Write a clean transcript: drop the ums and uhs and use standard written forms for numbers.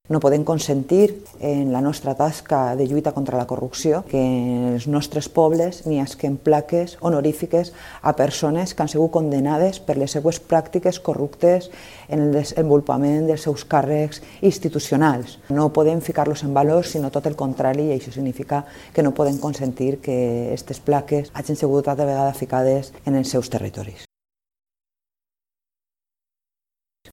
No podem consentir en la nostra tasca de lluita contra la corrupció que en els nostres pobles n'hi hagin plaques honorífiques a persones que han sigut condenades per les seues pràctiques corruptes en el desenvolupament dels seus càrrecs institucionals. No podem ficar-los en valor, sinó tot el contrari, i això significa que no podem consentir que aquestes plaques hagin sigut altra vegada ficades en els seus territoris.